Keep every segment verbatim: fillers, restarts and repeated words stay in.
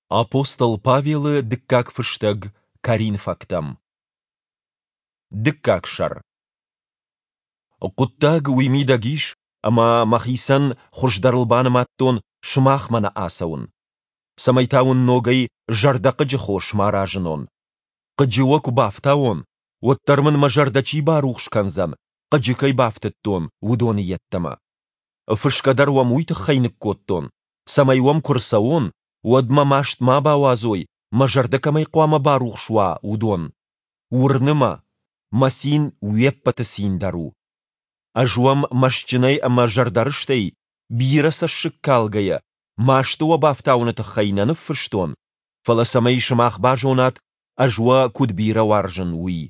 Апостол Павелы дыккаг фыстӕг Коринфӕгтӕм. Дыккаг сӕр. Хъуыддаг уый мидӕг ис, ӕмӕ мӕхицӕн хуыздӕрыл банымадтон сымахмӕ нӕ ацӕуын. Цӕмӕй та уын ногӕй зӕрдӕхъыджы хос ма разынон. Хъыджы уӕ куы бафтауон, уӕддӕр мын мӕ зӕрдӕ чи барухс кӕндзӕн, хъыджы кӕй бафтыдтон, уыдоны йеддӕмӕ. Фысгӕ дӕр уӕм уый тыххӕй ныккодтон, цӕмӕй уӕм куы рцӕуон, уӕд мӕ маст ма бауадзой, мӕ зӕрдӕ кӕмӕй хъуамӕ барухс уа, уыдон. Уырны мӕ, мӕ цин уе ппӕты цин дӕр у. Ӕз уӕм мӕстджынӕй ӕмӕ зӕрдӕрыстӕй, бирӕ цӕссыг калгӕйӕ, масты уӕ бафтауыны тыххӕй нӕ ныффыстон, фӕлӕ цӕмӕй сымах базонат, ӕз уӕ куыд бирӕ уарзын, уый.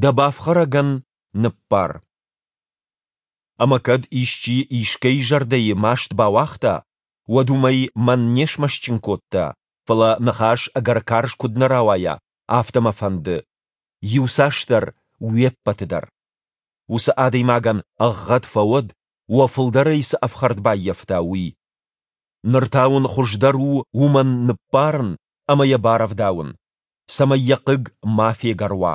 Дӕ бафхӕрӕгӕн ныббар. Ӕмӕ кӕд исчи искӕй зӕрдӕйы маст бауагъта, уӕд уымӕй мӕн не смӕстджын кодта, фӕлӕ ныхас ӕгӕр карз куыд нӕ рауайа, афтӕ мӕ фӕнды, иуцасдӕр уе ппӕты дӕр. Уыцы адӕймагӕн ӕгъгъӕд фӕуӕд, уӕ фылдӕрӕй цы ӕфхӕрд баййӕфта, уый. Ныр та уын хуыздӕр у уымӕн ныббарын ӕмӕ йӕ барӕвдауын, цӕмӕй йӕ хъыг ма фегӕр уа.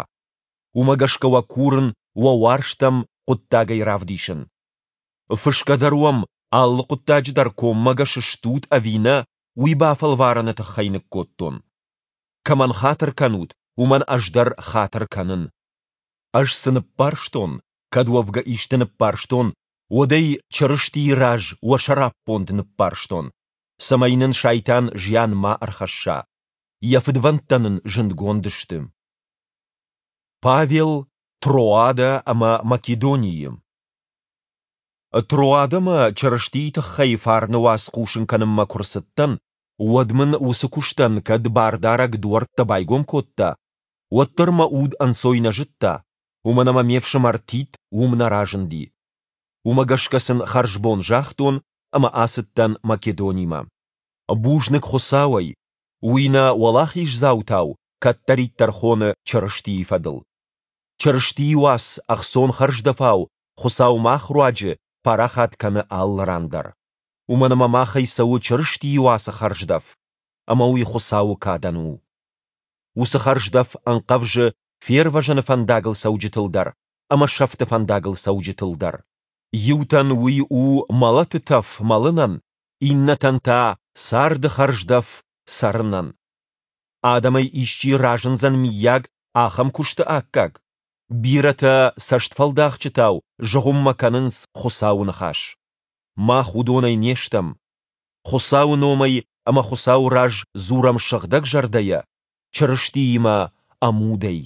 Уымӕ гӕсгӕ уӕ курын уӕ уарзт ӕм хъуыддагӕй равдисын. Фысгӕ дӕр уӕм алы хъуыддаджы дӕр коммӕгӕс стут ӕви нӕ, уый бафӕлварыны тыххӕй ныккодтон. Кӕмӕн хатыр кӕнут, уымӕн ӕз дӕр хатыр кӕнын. Ӕз цы ныббарстон, кӕд уӕвгӕ исты ныббарстон, уӕд ӕй Чырыстийы раз уӕ сӕраппонд ныббарстон, цӕмӕй нын Сайтан зиан ма ӕрхӕсса. Йӕ фыдвӕндтӕ нын зындгонд сты. Павел Троадӕ ӕмӕ Македонийы. Троадӕмӕ Чырыстийы тыххӕй фарны уац хъусын кӕнынмӕ куы рцыдтӕн, уӕд мын уыцы куыстӕн кӕд Бардарӕг дуӕрттӕ байгом кодта, уӕддӕр мӕ уд ӕнцой нӕ зыдта, уымӕн ӕмӕ ме фсымӕр Тит уым нӕ разынди. Уымӕ гӕсгӕ сын хӕрзбон загътон ӕмӕ ацыдтӕн Македонимӕ. Бузныг Хуыцауӕй, уый нӕ уӕлахиздзаутау кӕддӕриддӕр хоны Чырыстийы фӕдыл. Чырыстийы уац ӕхцон хӕрздӕфау Хуыцау мах руаджы парахат кӕны алы ран дӕр. Уымӕн ӕмӕ махӕй цӕуы Чырыстийы уацы хӕрздӕф, ӕмӕ уый Хуыцауы кадӕн у. Уыцы хӕрздӕф ӕнхъӕвзы фервӕзыны фӕндагыл цӕуджытыл дӕр ӕмӕ сӕфты фӕндагыл цӕуджытыл дӕр. Иутӕн уый у мӕлӕты тӕф мӕлынӕн, иннӕтӕн та царды хӕрздӕф цӕрынӕн. Адӕмӕй исчи разындзӕн миййаг ахӕм куысты аккаг? Бирӕтӕ цӕстфӕлдахджытау зыгъуыммӕ кӕнынц Хуыцауы ныхас. Мах уыдонӕй не стӕм. Хуыцауы номӕй ӕмӕ Хуыцауы раз дзурӕм сыгъдӕг зӕрдӕйӕ, Чырыстиимӕ ӕмудӕй.